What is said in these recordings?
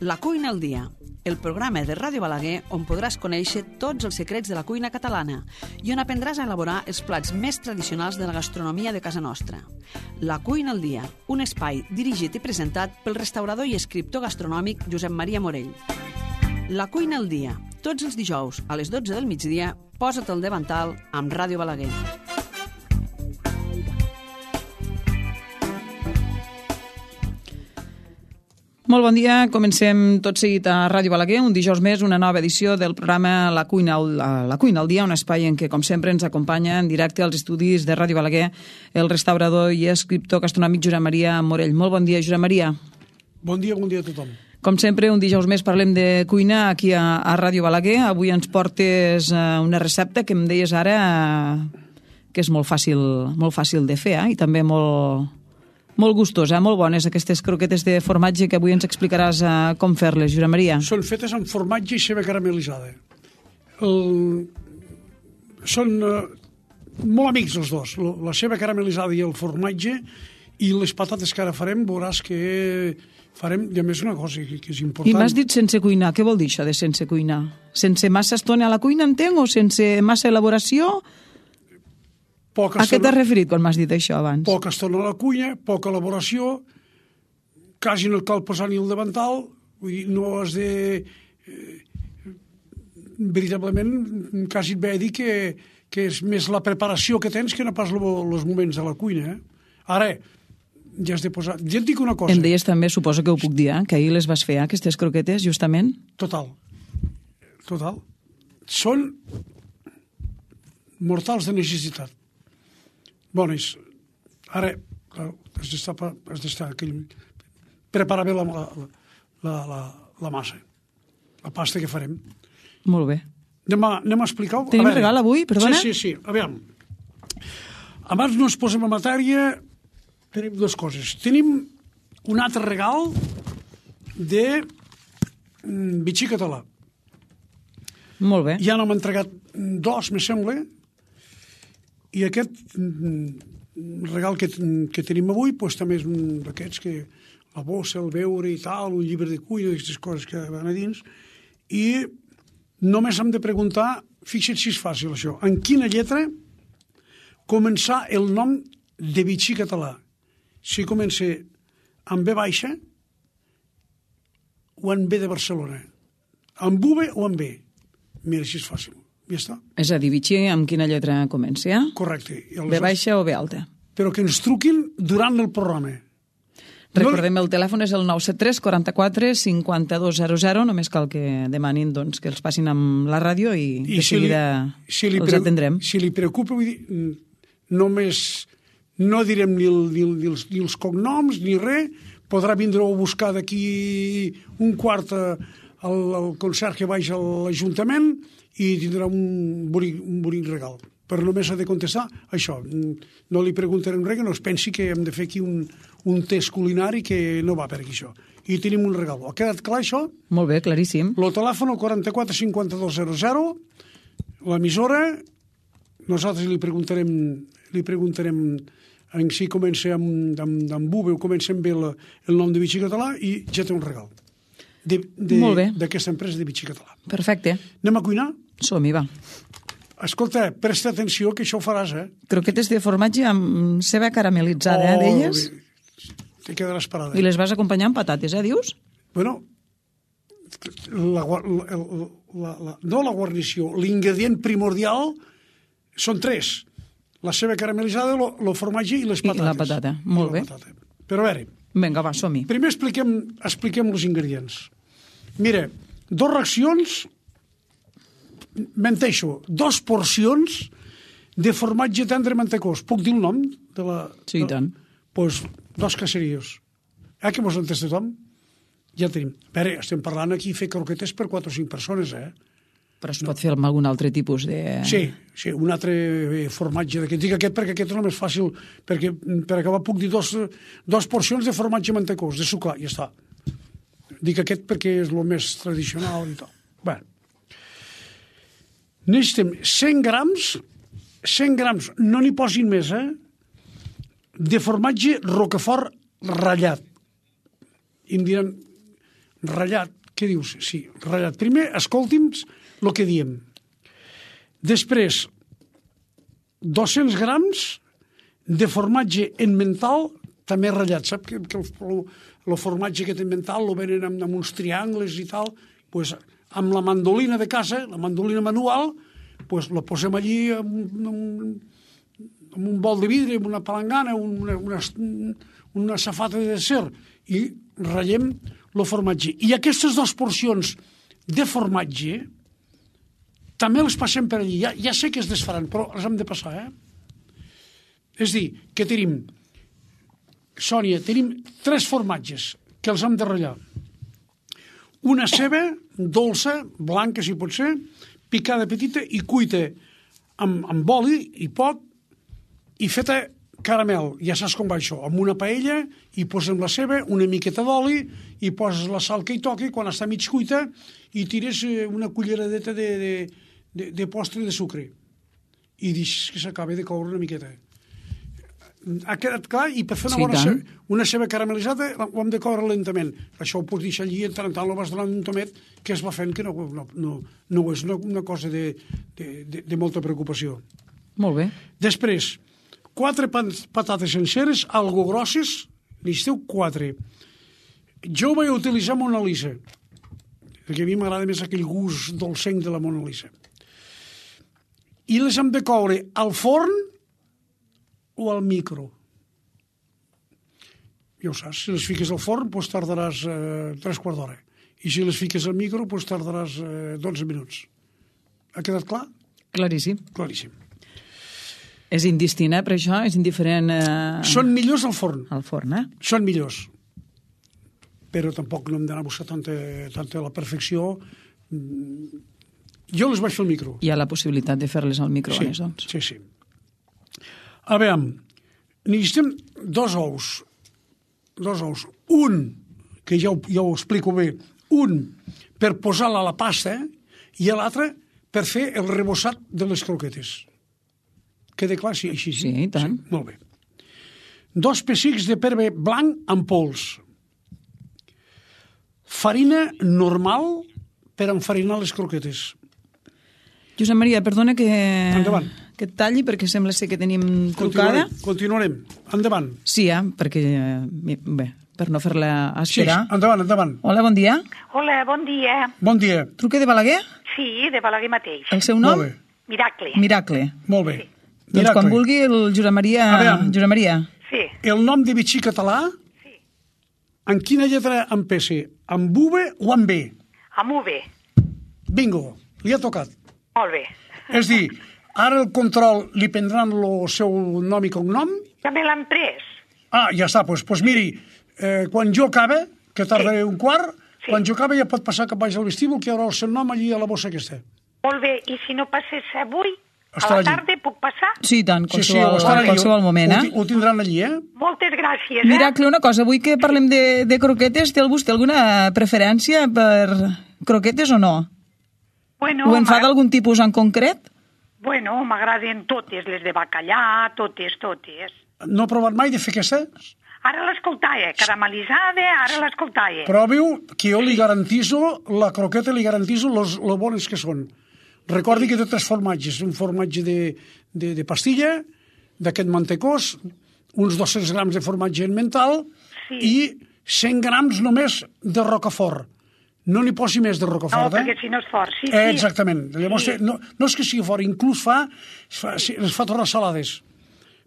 La cuina al dia, el programa de Ràdio Balaguer on podràs conèixer tots els secrets de la cuina catalana i on aprendràs a elaborar els plats més tradicionals de la gastronomia de casa nostra. La cuina al dia, un espai dirigit i presentat pel restaurador i escriptor gastronòmic Josep Maria Morell. La cuina al dia, tots els dijous a les 12 del migdia, posa't al davantal amb Ràdio Balaguer. Molt bon dia, comencem tot seguit a Ràdio Balaguer, un dijous més, una nova edició del programa La cuina al dia, un espai en què, com sempre, ens acompanya en directe als estudis de Ràdio Balaguer el restaurador i escriptor gastronòmic Josep Maria Morell. Molt bon dia, Josep Maria. Bon dia a tothom. Com sempre, un dijous més parlem de cuina aquí a Ràdio Balaguer. Avui ens portes una recepta que em deies ara que és molt fàcil de fer, i també molt gustosa, molt bones, aquestes croquetes de formatge que avui ens explicaràs com fer-les, Josep Maria. Són fetes amb formatge i ceba caramelitzada. Són molt amics els dos, la ceba caramelitzada i el formatge, i les patates que ara farem, veuràs que farem, i a més una cosa que és important. I m'has dit sense cuinar, què vol dir això de sense cuinar? Sense massa estona a la cuina, entenc, o sense massa elaboració? A què t'has referit quan m'has dit això abans? Poca estona a la cuina, poca elaboració, quasi no cal posar ni el davantal, vull dir, no has de... veritablement, quasi et ve a dir que és més la preparació que tens que no pas els moments de la cuina. Ara, ja has de posar... Ja et dic una cosa. Em deies també, suposo que ho puc dir, que ahir les vas fer, aquestes croquetes, justament? Total. Són mortals de necessitat. Bones. Ara, has d'estar preparar bé la massa, la pasta que farem. Molt bé. Anem a explicar-ho? Tenim regal avui, perdona? Sí. Aviam. Abans no ens posem a matèria, tenim dues coses. Tenim un altre regal de bitxí català. Molt bé. Ja n'hem entregat dos, me sembla, i aquest regal que tenim avui també és un d'aquests que la bossa, el beure i tal, un llibre de cuina, aquestes coses que van a dins, i només hem de preguntar, fixa't si és fàcil això, en quina lletra començar el nom de bitxí català. Si comença amb B baixa o en B de Barcelona, amb V o amb B. Mira, si és fàcil. Ja està. És a dir, bitxí amb quina lletra comença? Correcte. B baixa o B alta. Però que ens truquin durant el programa. Recordem, el telèfon és el 973 44 5200, només cal que demanin que els passin amb la ràdio i de seguida els atendrem. Si li preocupa, vull dir, només no direm ni els cognoms ni res, podrà vindre a buscar d'aquí un quart al concert que vaig a l'Ajuntament i tindrà un bonic regal. Però només ha de contestar això. No li preguntarem res, que no es pensi que hem de fer aquí un test culinari que no va per aquí, això. I tenim un regal. Ha quedat clar, això? Molt bé, claríssim. El telèfon, el 44 5200, l'emissora, nosaltres li preguntarem en si comença amb V o comença amb B el nom de bitxí català i ja té un regal. D'aquesta empresa de bitxí català. Perfecte. Anem a cuinar? Som-hi, va. Escolta, presta atenció que això ho faràs, Croquetes de formatge amb ceba caramelitzada, d'elles? Te quedaràs parada. I les vas acompanyar amb patates, dius? Bueno, no la guarnició, l'ingredient primordial són tres. La ceba caramelitzada, el formatge i les patates. I la patata, molt bé. Però a veure... Vinga, va, som-hi. Primer expliquem els ingredients. Mira, 2 racions, menteixo, 2 porcions de formatge tendre mantecós. Puc dir el nom? Sí, i tant. Doncs 2 caserillos. Que mos entès tothom? Ja tenim. A veure, estem parlant aquí fer croquetes per 4 o 5 persones, Però es pot fer amb algun altre tipus de... Sí, un altre formatge d'aquest. Dic aquest perquè aquest és el més fàcil, perquè per acabar puc dir 2 porcions de formatge mantecós, de suclar, ja està. Dic aquest perquè és el més tradicional i tal. Bé. Necessitem 100 grams, no n'hi posin més, de formatge Roquefort ratllat. I em diran, ratllat, què dius? Sí, ratllat. Primer, escolti'm el que diem. Després, 200 grams de formatge emmental, també ratllat. Sap que el formatge que té emmental lo venen amb uns triangles i tal? Pues, amb la mandolina de casa, la mandolina manual, pues, la posem allí amb un bol de vidre, amb una palangana, una safata de ser, i ratllem el formatge. I aquestes dues porcions de formatge també les passem per allí. Ja sé que es desfaran, però les hem de passar, És a dir, que tenim, Sònia, tenim 3 formatges que els hem de ratllar. Una ceba dolça, blanca si pot ser, picada petita i cuita amb oli i poc, i feta caramel, ja saps com va això, amb una paella, i posem la ceba, una miqueta d'oli, i poses la sal que hi toqui, quan està mig cuita, i tires una culleradeta de postre de sucre. I deixes que s'acabi de coure una miqueta. Ha quedat clar? I per fer una ceba caramelitzada ho hem de coure lentament. Això ho pots deixar allí, en tant lo vas donant un tomet que es va fent, que no és una cosa de molta preocupació. Molt bé. Després, 4 patates senceres, algo grosses, necessiteu 4. Jo ho vaig utilitzar Mona Lisa, perquè a mi m'agrada més aquell gust dolcenc de la Mona Lisa. I les hem de coure al forn o al micro. Ja ho saps, si les fiques al forn, doncs tardaràs 3/4 d'hora. I si les fiques al micro, doncs tardaràs 12 minuts. Ha quedat clar? Claríssim. Claríssim. És indistint, per això? És indiferent... Són millors al forn. Al forn, Són millors. Però tampoc no hem d'anar a buscar tanta la perfecció. Jo les vaig fer al micro. Hi ha la possibilitat de fer-les al microones, doncs. Sí. A veure, necessitem 2 ous. 2 ous. Un, que ja ho explico bé, un per posar-la a la pasta i l'altre per fer el rebossat de les croquetes. Queda clar? Sí, així. Sí, i tant. Sí, molt bé. 2 pessics de pebre blanc amb pols. Farina normal per enfarinar les croquetes. Josep Maria, perdona que et talli perquè sembla ser que tenim trucada. Continuarem. Endavant. Sí, perquè, bé, per no fer-la esperar. Sí, endavant. Hola, bon dia. Hola, bon dia. Bon dia. Truca de Balaguer? Sí, de Balaguer mateix. El seu nom? Molt bé. Miracle. Molt bé. Sí. Doncs quan vulgui el Josep Maria. Sí. El nom de bitxí català, Sí. en quina lletra empece? Amb V o amb B? Amb UV. Bingo, li ha tocat. Molt bé. És dir, ara el control li prendran el seu nom i cognom? Ja me l'han pres. Ah, ja està, doncs miri, quan jo acabe, que tardaré un quart, quan jo acabe ja pot passar cap baix al vestíbul, que hi haurà el seu nom allí a la bossa aquesta. Molt bé, i si no passés avui, Estarà a la tarda puc passar? Sí, tant, estarà qualsevol moment, Ho tindran allí, Moltes gràcies, Miracle, una cosa, avui que parlem de croquetes, té vostè alguna preferència per croquetes o no? Bueno, Ho en fa d'algun tipus en concret? Bueno, m'agraden totes, les de bacallà, totes. No ha provat mai de fer aquesta? Ara l'escoltava, caramelitzada, ara l'escoltava. Provi-ho, que jo li garantiso, la croqueta li garantiso lo bones que són. Recordi que té 3 formatges, un formatge de pastilla, d'aquest mantecós, uns 200 grams de formatge emmental i 100 grams només de rocafort. No n'hi posi més de rocafort, No, perquè si no és fort, sí. Exactament. Llavors, no és que sigui fort, inclús les fa tornar salades.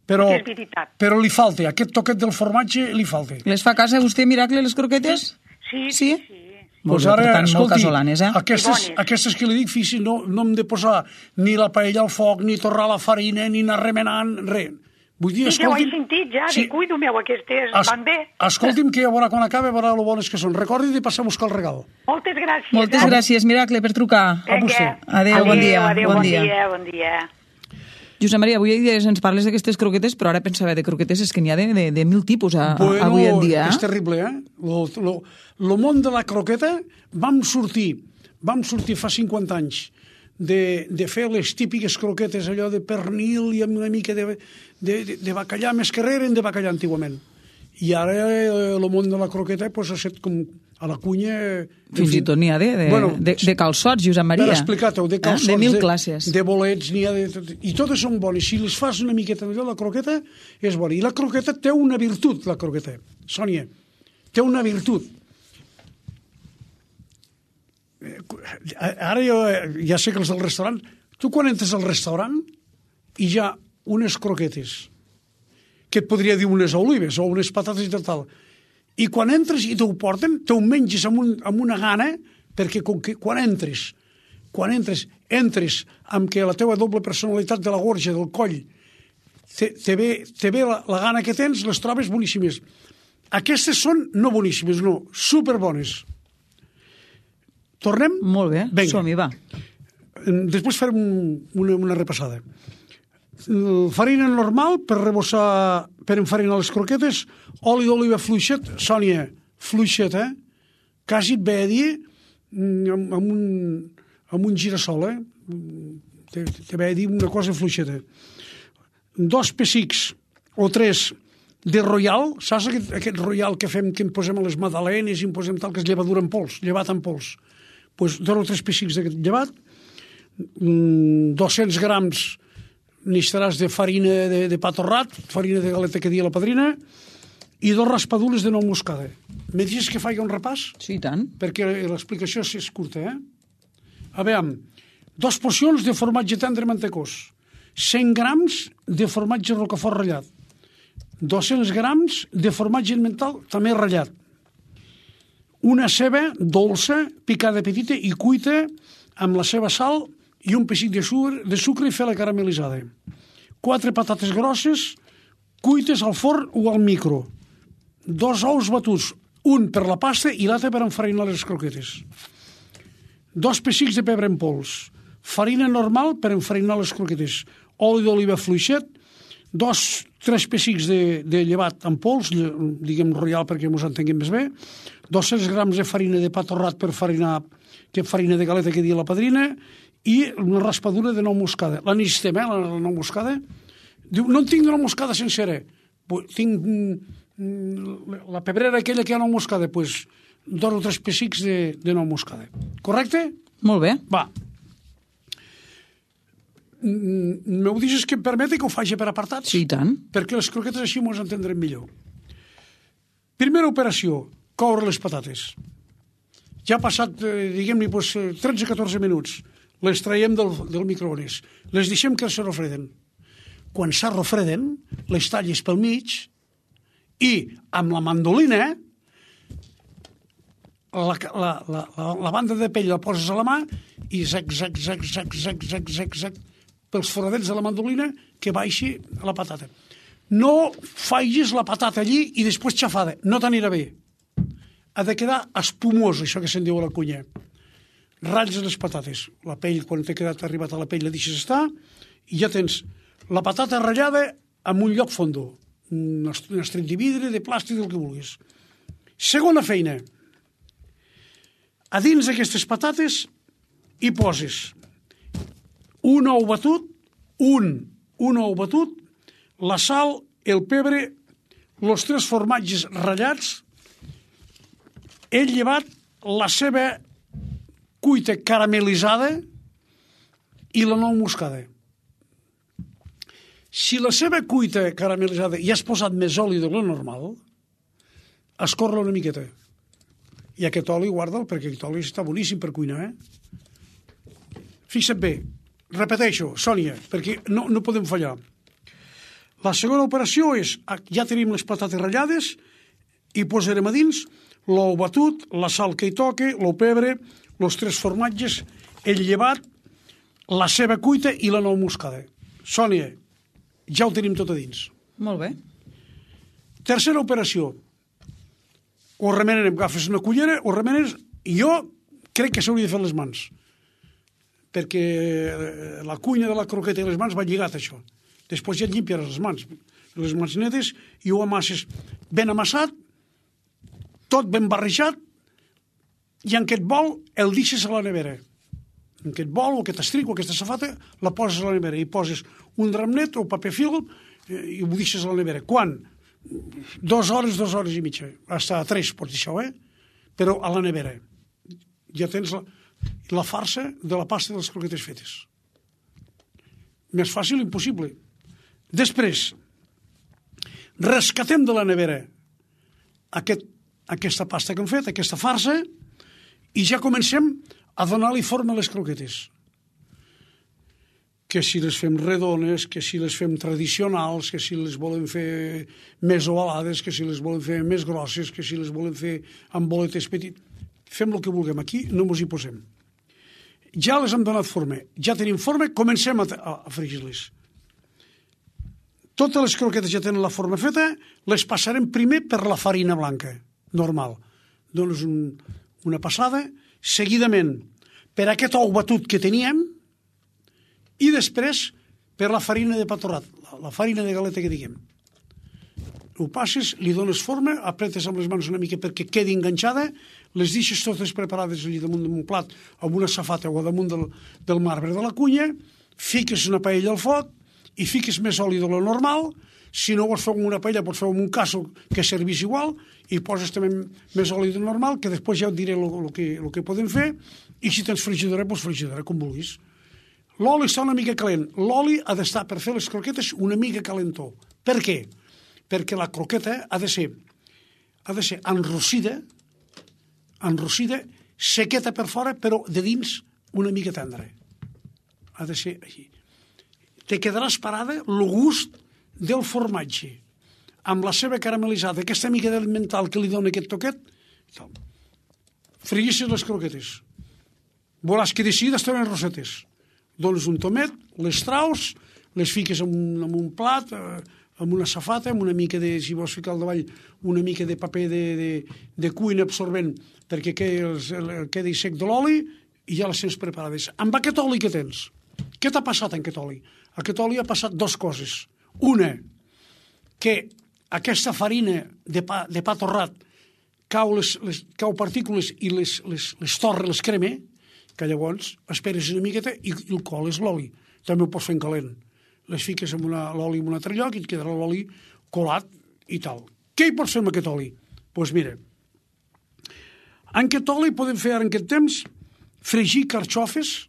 Però, és veritat. Però li falta, aquest toquet del formatge li falta. Les fa a casa vostè, Miracle, les croquetes? Sí. Molt Pues bé, ara, per tant, molt escolti, casolanes, aquestes que li dic, fixi, no hem de posar ni la paella al foc, ni torrar la farina, ni anar remenant, res. Vull dir, ja ho he sentit, ja, dic, cuido meu, aquestes van bé. Escolti'm, que ja veurà quan acabe, veurà lo bones que són. Recordi de passar a buscar el regal. Moltes gràcies. Moltes gràcies, Miracle, per trucar. A vostè. Adéu, bon dia. Bon dia. Josep Maria, avui ens parles d'aquestes croquetes, però ara pensava de croquetes és que n'hi ha de 1.000 tipus avui en dia. És terrible, El món de la croqueta vam sortir fa 50 anys de fer les típiques croquetes, allò de pernil i amb una mica de bacallà, més que res eren de bacallà antigament. I ara el món de la croqueta ha set com a la cuina... Fins i tot n'hi ha de calçots, Josep Maria. Per explicar-t'ho, de calçots, de 1000 classes. De bolets, n'hi ha de... I totes són bones. Si les fas una miqueta millor, la croqueta és bona. I la croqueta té una virtut, la croqueta. Sònia, té una virtut. Ara jo ja sé que els del restaurant... Tu quan entres al restaurant i hi ha unes croquetes, que et podria dir unes olives o unes patates i tal, i quan entres i t'ho porten, t'ho menges amb una gana, perquè quan entres amb que la teva doble personalitat de la gorja, del coll, te ve la gana que tens, les trobes boníssimes. Aquestes són no boníssimes, no, superbones. Tornem? Molt bé, som-hi, va. Després farem una repassada. Farina normal per rebossar, per enfarinar les croquetes, oli d'oliva fluixet, Sònia, fluixet, quasi et ve a dir amb un girassol, te ve a dir una cosa fluixeta. 2 pessics o 3 de royal, saps aquest royal que fem, que en posem a les magdalenes i en posem tal, que és llevadura en pols, llevat en pols? Doncs 2 o 3 pessics d'aquest llevat, 200 grams n'estaràs de farina de pa torrat, farina de galeta que dia la padrina, i 2 raspadules de nou moscada. Me deixes que faci un repàs? Sí, i tant. Perquè l'explicació és curta, A veure, 2 porcions de formatge tendre mantecós, 100 grams de formatge rocafort ratllat, 200 grams de formatge emmental també ratllat, una ceba dolça, picada petita i cuita amb la seva sal i un pessic de sucre i fer-la caramelitzada. 4 patates grosses, cuites al forn o al micro. 2 ous batuts, un per la pasta i l'altre per enfarinar les croquetes. 2 pessics de pebre en pols, farina normal per enfarinar les croquetes, oli d'oliva fluixet, 3 pessics de llevat en pols, diguem royal perquè ens entenguem més bé, 200 grams de farina de pa torrat per farinar, que farina de galeta que dia la padrina, i una raspadura de nou moscada. La necessitem, la nou moscada? Diu, no en tinc de nou moscada sencera. Tinc la pebrera aquella que hi ha nou moscada, doncs 2 o 3 pessics de nou moscada. Correcte? Molt bé. Va. M'ho deixes que em permeti que ho faci per apartats? Sí, i tant. Perquè les croquetes així ens entendrem millor. Primera operació, coure les patates. Ja ha passat, diguem-ne, 13-14 minuts. Les traiem del microones. Les deixem que s'arrofreden. Quan s'arrofreden, les talles pel mig i amb la mandolina la banda de pell la poses a la mà i zac pels foradets de la mandolina que baixi a la patata. No facis la patata allí i després xafada. No t'anirà bé. Ha de quedar espumós, això que se'n diu a la cuina. Ratlles les patates. La pell, quan t'ha quedat arribat a la pell, la deixes estar i ja tens la patata ratllada en un lloc fondo. Un estret de vidre, de plàstic, del que vulguis. Segona feina. A dins d'aquestes patates hi poses un ou batut, un ou batut, la sal, el pebre, els 3 formatges ratllats, el llevat, la ceba cuita caramelitzada i la nou moscada. Si la ceba cuita caramelitzada i has posat més oli de lo normal, escorre-la una miqueta. I aquest oli guarda'l, perquè aquest oli està boníssim per cuinar, Fixa't bé, repeteixo, Sònia, perquè no podem fallar. La segona operació és, ja tenim les patates ratllades i posarem a dins l'ou batut, la sal que hi toque, l'ou pebre, els 3 formatges, el llevat, la ceba cuita i la nou moscada. Sònia, ja ho tenim tot a dins. Molt bé. Tercera operació. Ho remenem, agafes una cullera, ho remenes, i jo crec que s'hauria de fer les mans, perquè la cuina de la croqueta i les mans va lligat, això. Després ja et llimpiaràs les mans netes, i ho amasses ben amassat, tot ben barrejat, i en aquest bol el deixes a la nevera. En aquest bol o aquest estric o aquesta safata la poses a la nevera i poses un drap net o paper film i ho deixes a la nevera. Quan 2 hores i mitja. Hasta 3 pots dir això, però a la nevera. Ja tens la farsa de la pasta de les croquetes fetes. Més fàcil impossible. Després, rescatem de la nevera aquesta pasta que hem fet, aquesta farsa, i ja comencem a donar-li forma a les croquetes. Que si les fem redones, que si les fem tradicionals, que si les volem fer més ovalades, que si les volem fer més grosses, que si les volem fer amb boletes petites. Fem el que vulguem. Aquí no ens hi posem. Ja les hem donat forma. Ja tenim forma, comencem a fregir-les. Totes les croquetes ja tenen la forma feta, les passarem primer per la farina blanca, normal. Dones una passada, seguidament per aquest ou batut que teníem, i després per la farina de pa torrat, la farina de galeta que diguem. Ho passes, li dones forma, apretes amb les mans una mica perquè quedi enganxada, les deixes totes preparades allà damunt d'un plat, amb una safata o damunt del marbre de la cuina, fiques una paella al foc i fiques més oli de lo normal. Si no vols fer amb una paella, pots fer amb un casso que servís igual, i poses també més oli del normal, que després ja et diré el que podem fer, i si tens frigidora, doncs frigidora, com vulguis. L'oli està una mica calent. L'oli ha d'estar, per fer les croquetes, una mica calentó. Per què? Perquè la croqueta ha de ser enrossida, sequeta per fora, però de dins una mica tendra. Ha de ser així. Te quedaràs parada el gust del formatge, amb la seva caramelitzada, aquesta mica d'alimental que li dona aquest toquet. Freguissis les croquetes. Veuràs que de seguida estaran rosetes. Dones un tomet, les traus, les fiques en un plat, amb una safata, amb una mica de, si vols ficar al davall, una mica de paper de cuina absorbent perquè quedi sec de l'oli, i ja les tens preparades. Amb aquest oli que tens, què t'ha passat en aquest oli? Aquest oli ha passat 2 coses. Una, que aquesta farina de pa torrat cau partícules i les torra, les crema, que llavors esperes una miqueta i el coles l'oli. També ho pots fer en calent. Les fiques amb l'oli en un altre lloc i et quedarà l'oli colat i tal. Què hi pots fer amb aquest oli? Doncs mira, en aquest oli podem fer ara en aquest temps fregir carxofes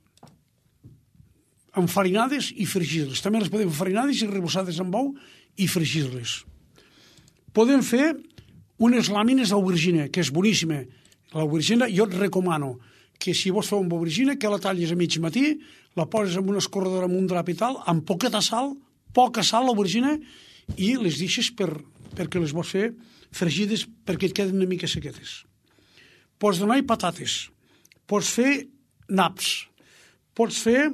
enfarinades i fregir-les. També les podem fer farinades i rebossades amb ou i fregir-les. Podem fer unes làmines d'aubergina, que és boníssima. L'aubergina jo et recomano que si vols fer una aubergina, que la tallis a mig matí, la poses en una escorredora amb un drap i tal, amb poca sal l'aubergina, i les deixes perquè les vols fer fregides perquè et queden una mica sequetes. Pots donar-hi patates, pots fer naps, pots fer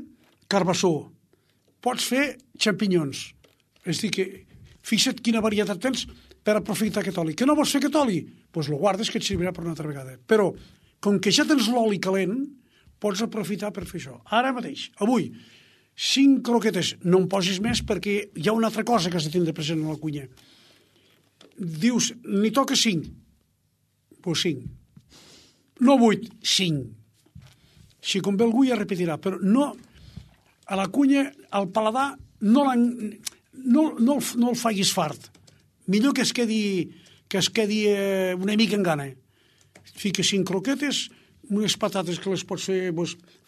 carbassó, pots fer xampinyons. És a dir, que fixa't quina varietat tens per aprofitar aquest oli. Que no vols fer aquest oli? Doncs el guardes, que et servirà per una altra vegada. Però, com que ja tens l'oli calent, pots aprofitar per fer això. Ara mateix, avui, 5 croquetes, no en posis més perquè hi ha una altra cosa que has de tindre present a la cuina. Dius, n'hi toca 5. Doncs 5. No 8, 5. Si convé algú ja repetirà, però no, a la cuina, al paladar, no el facis fart. Millor que es quedi una mica en gana. Fiques 5 croquetes, unes patates que les pots fer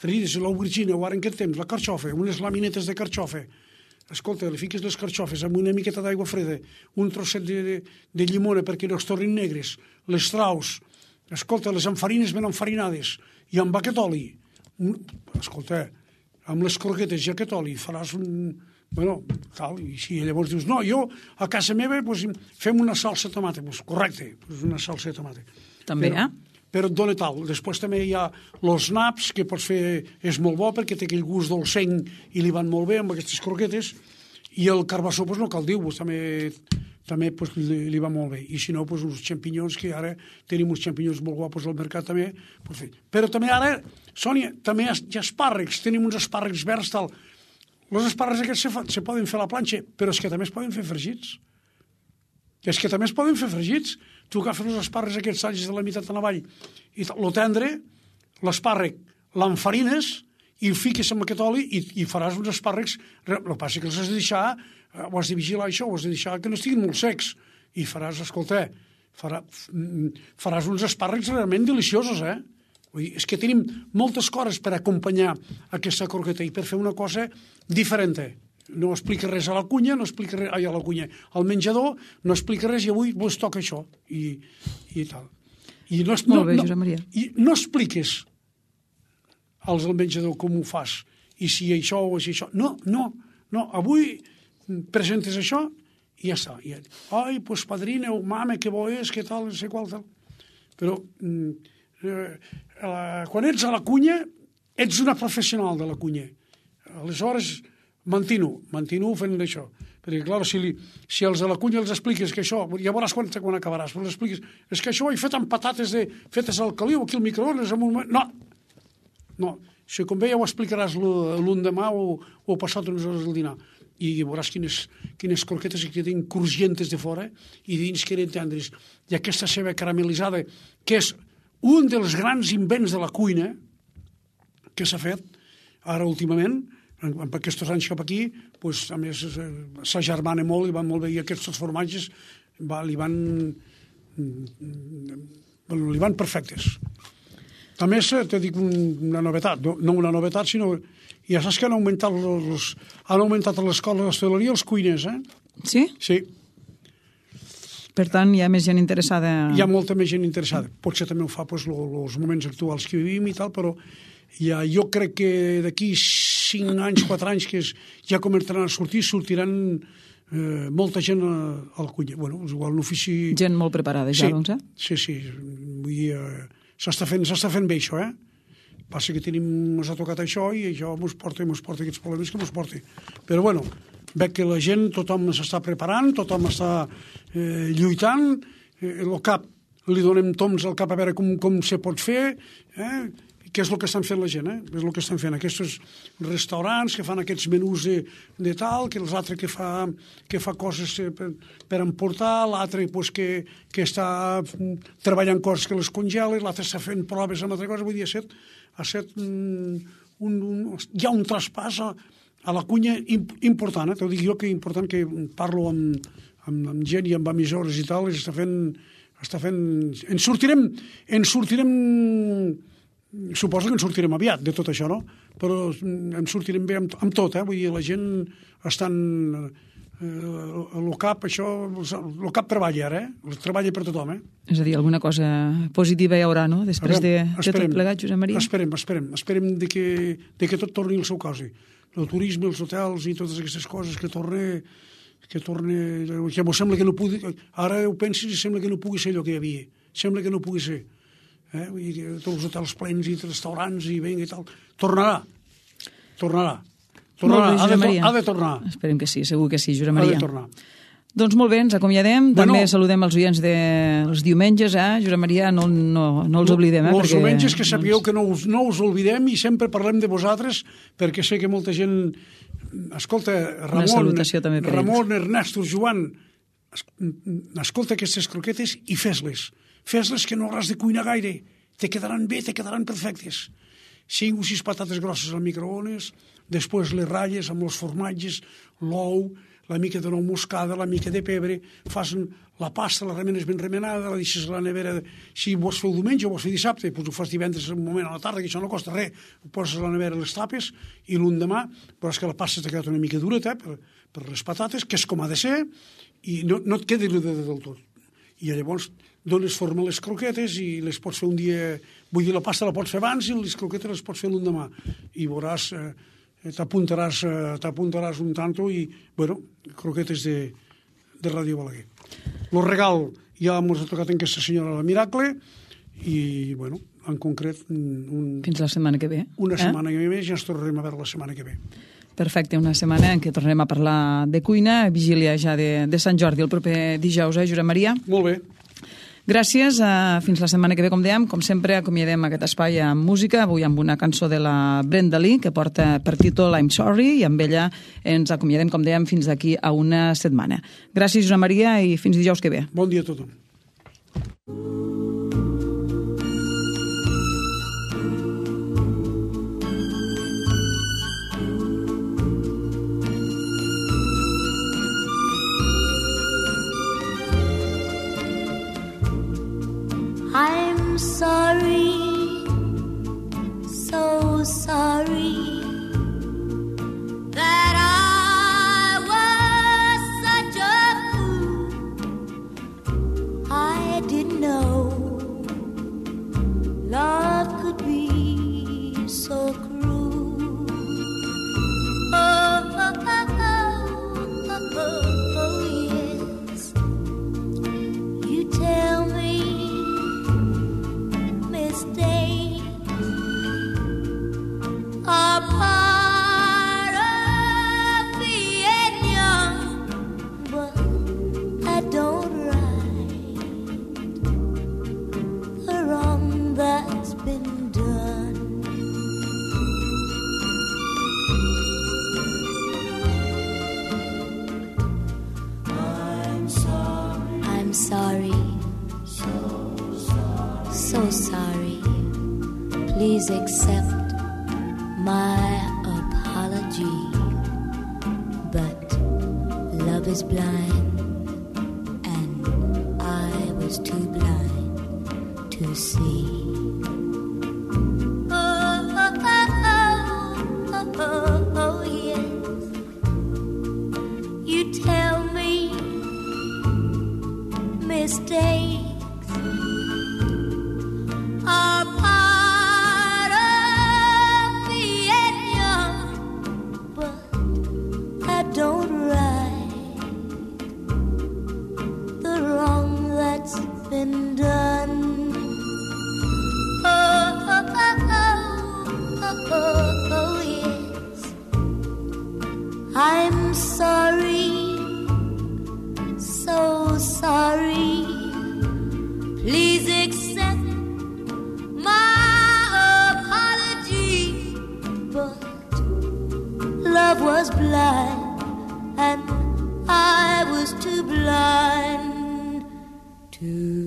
fregides, l'aubergina, o ara en aquest temps, la carxofa, unes laminetes de carxofa. Escolta, li fiques les carxofes amb una miqueta d'aigua freda, un trosset de llimona perquè no es tornin negres, les traus, escolta, les enfarines ben enfarinades, i amb aquest oli, escolta, amb les croquetes i aquest oli faràs tal, i si llavors dius, no, jo a casa meva fem una salsa de tomata, correcte, una salsa de tomata. També, però et dona tal. Després també hi ha els naps, que pots fer, és molt bo perquè té aquell gust dolcenc i li van molt bé amb aquestes croquetes, i el carbassó no cal dir-ho, també li va molt bé. I si no, uns xampinyons, que ara tenim uns xampinyons molt guapos al mercat també. Però també ara, Sònia, també hi ha espàrrecs, tenim uns espàrrecs verds, tal. Els espàrrecs aquests se poden fer a la planxa, però és que també es poden fer fregits. Tu agafes els espàrrecs aquests, talles de la meitat en avall, i lo tendre, l'espàrrec, l'enfarines, i el fiques amb aquest oli i faràs uns espàrrecs. El que passa que els has de deixar, ho has de vigilar això, ho has de deixar que no estiguin molt secs, i faràs, escolta, faràs uns espàrrecs realment deliciosos, Vull dir, és que tenim moltes coses per acompanyar aquesta croqueta i per fer una cosa diferent. No explica res a la cuina, no explica res a la cuina. Al menjador no explica res i avui vos toca això i tal. I no, molt bé, Josep Maria. I no expliques als del menjador com ho fas i si això o si això. No, avui presentes això i ja està. Ai, pues padrina o mama, que bo és, que tal, no sé qual, tal. Però quan ets a la cuina, ets una professional de la cuina. Aleshores, mantino fent això. Perquè, clar, si els de la cuina els expliques que això, ja veuràs quan acabaràs, però els expliques, és que això ho he fet amb patates fetes al caliu, aquí al microones, en un moment... No, si com bé ja ho explicaràs l'endemà o passat unes hores del dinar. I veuràs quines croquetes que tenen crujientes de fora i dins que eren tendres. I aquesta ceba caramelitzada, que és un dels grans invents de la cuina que s'ha fet ara últimament, amb aquests anys cap aquí, doncs, a més, s'agermana molt i van molt bé, i aquests formatges li van perfectes. A més, te dic una novetat, no una novetat, sinó ja saps que han augmentat a l'escola d'hostaleria els cuiners, Sí? Sí. Per tant, hi ha més gent interessada... Hi ha molta més gent interessada. Potser també ho fa els moments actuals que vivim i tal, però jo crec que d'aquí 5 anys, 4 anys, que ja començaran a sortiran molta gent al cuiner. Bueno, igual l'ofici... Gent molt preparada ja, doncs, Sí. Vull dir, s'està fent bé això, Passa que ens ha tocat això i això ens porta aquests problemes que ens porta. Però bueno, veig que la gent, tothom s'està preparant, tothom està lluitant, el cap, li donem toms al cap a veure com se pot fer, què és el que estan fent la gent, és el que estan fent aquests restaurants que fan aquests menús de tal, que l'altre que fa coses per emportar, l'altre pues, que està treballant coses que les congela, l'altre està fent proves amb altra cosa. Vull dir, hi ha un traspàs a la cuina important, t'ho dic jo, que important, que parlo amb gent i amb emissores i tal, està fent... En sortirem suposo que en sortirem aviat de tot això, no? Però en sortirem bé amb tot, Vull dir, la gent estan... El CAP, això... El CAP treballa ara, treballa per tothom, És a dir, alguna cosa positiva hi haurà, no? Després de tot plegat, Josep Maria? Esperem de que tot torni al seu cos. El turisme, els hotels i totes aquestes coses que torni... Que m'ho sembla que no pugui... Ara ho pensis i sembla que no pugui ser allò que hi havia. Sembla que no pugui ser. Vull dir, tots els hotels plens i restaurants i vinga i tal. Tornarà. Ha de tornar. Esperem que sí, segur que sí, Josep Maria. Ha de tornar. Doncs molt bé, ens acomiadem. També saludem els oients dels diumenges, Josep Maria, no els oblidem. Els diumenges, que sapigueu que no us oblidem i sempre parlem de vosaltres, perquè sé que molta gent... Escolta, Ramon, Ernesto, Joan, escolta aquestes croquetes i fes-les. Fes-les, que no hauràs de cuinar gaire. Te quedaran bé, te quedaran perfectes. 5 o 6 patates grosses al microones, després les ratlles amb els formatges, l'ou, la mica de nou moscada, la mica de pebre, fas la pasta, la remenes ben remenada, la deixes a la nevera, si vols fer el diumenge o vols fer dissabte, doncs ho fas divendres un moment a la tarda, que això no costa res, ho poses a la nevera, les tapes, i l'endemà veuràs que la pasta t'ha quedat una mica dureta per les patates, que és com ha de ser, i no et quedi dureta del tot. I llavors dones forma a les croquetes i les pots fer un dia... Vull dir, la pasta la pots fer abans i les croquetes les pots fer l'endemà. I veuràs... t'apuntaràs un tanto i, bueno, croquetes de Ràdio Balaguer. El regal ja ens ha tocat en aquesta senyora la Miracle i, bueno, en concret... Fins la setmana que ve. Una setmana que ve, ja ens tornarem a veure la setmana que ve. Perfecte, una setmana en què tornarem a parlar de cuina, vigília ja de Sant Jordi, el proper dijous, Josep Maria? Molt bé. Gràcies, fins la setmana que ve, com dèiem. Com sempre, acomiadem aquest espai amb música, avui amb una cançó de la Brenda Lee, que porta per títol I'm Sorry, i amb ella ens acomiadem, com dèiem, fins d'aquí a una setmana. Gràcies, Josep Maria, i fins dijous que ve. Bon dia a tothom. sorry, so sorry that I was such a fool. I didn't know love could be so cruel. Oh, oh, oh, oh, oh, oh, yes. You tell me mistakes are part of being young, but I don't right the wrong that's been done. I'm sorry, so sorry. Please accept my apology. But love is blind, and I was too blind to see. Oh, oh, oh, oh, oh, oh, yes. You tell me mistakes are part of being young, but I don't right the wrong that's been done. Oh, oh, oh, oh, oh, oh, yes. I'm sorry, so sorry. Please accept my apology. But love was blind, and I was too blind to